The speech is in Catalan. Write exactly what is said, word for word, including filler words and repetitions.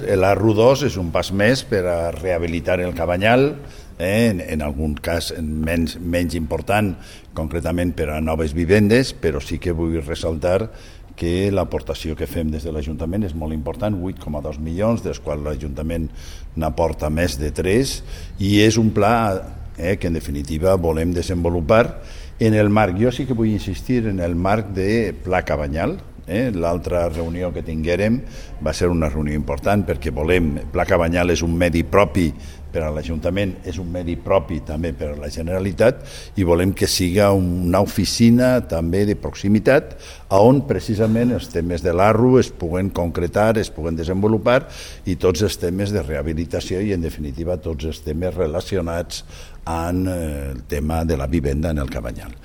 L'A R U dos és un pas més per a rehabilitar el Cabanyal, eh, en, en algun cas menys, menys important, concretament per a noves vivendes, però sí que vull ressaltar que l'aportació que fem des de l'Ajuntament és molt important, vuit coma dos milions, dels quals l'Ajuntament n'aporta més de tres, i és un pla eh, que en definitiva volem desenvolupar en el marc, jo sí que vull insistir en el marc de Pla Cabanyal. Eh? L'altra reunió que tinguérem va ser una reunió important perquè volem, Pla Cabanyal és un medi propi per a l'Ajuntament, és un medi propi també per a la Generalitat i volem que siga una oficina també de proximitat on precisament els temes de l'A R U es puguen concretar, es puguen desenvolupar i tots els temes de rehabilitació i en definitiva tots els temes relacionats amb el tema de la vivenda en el Cabanyal.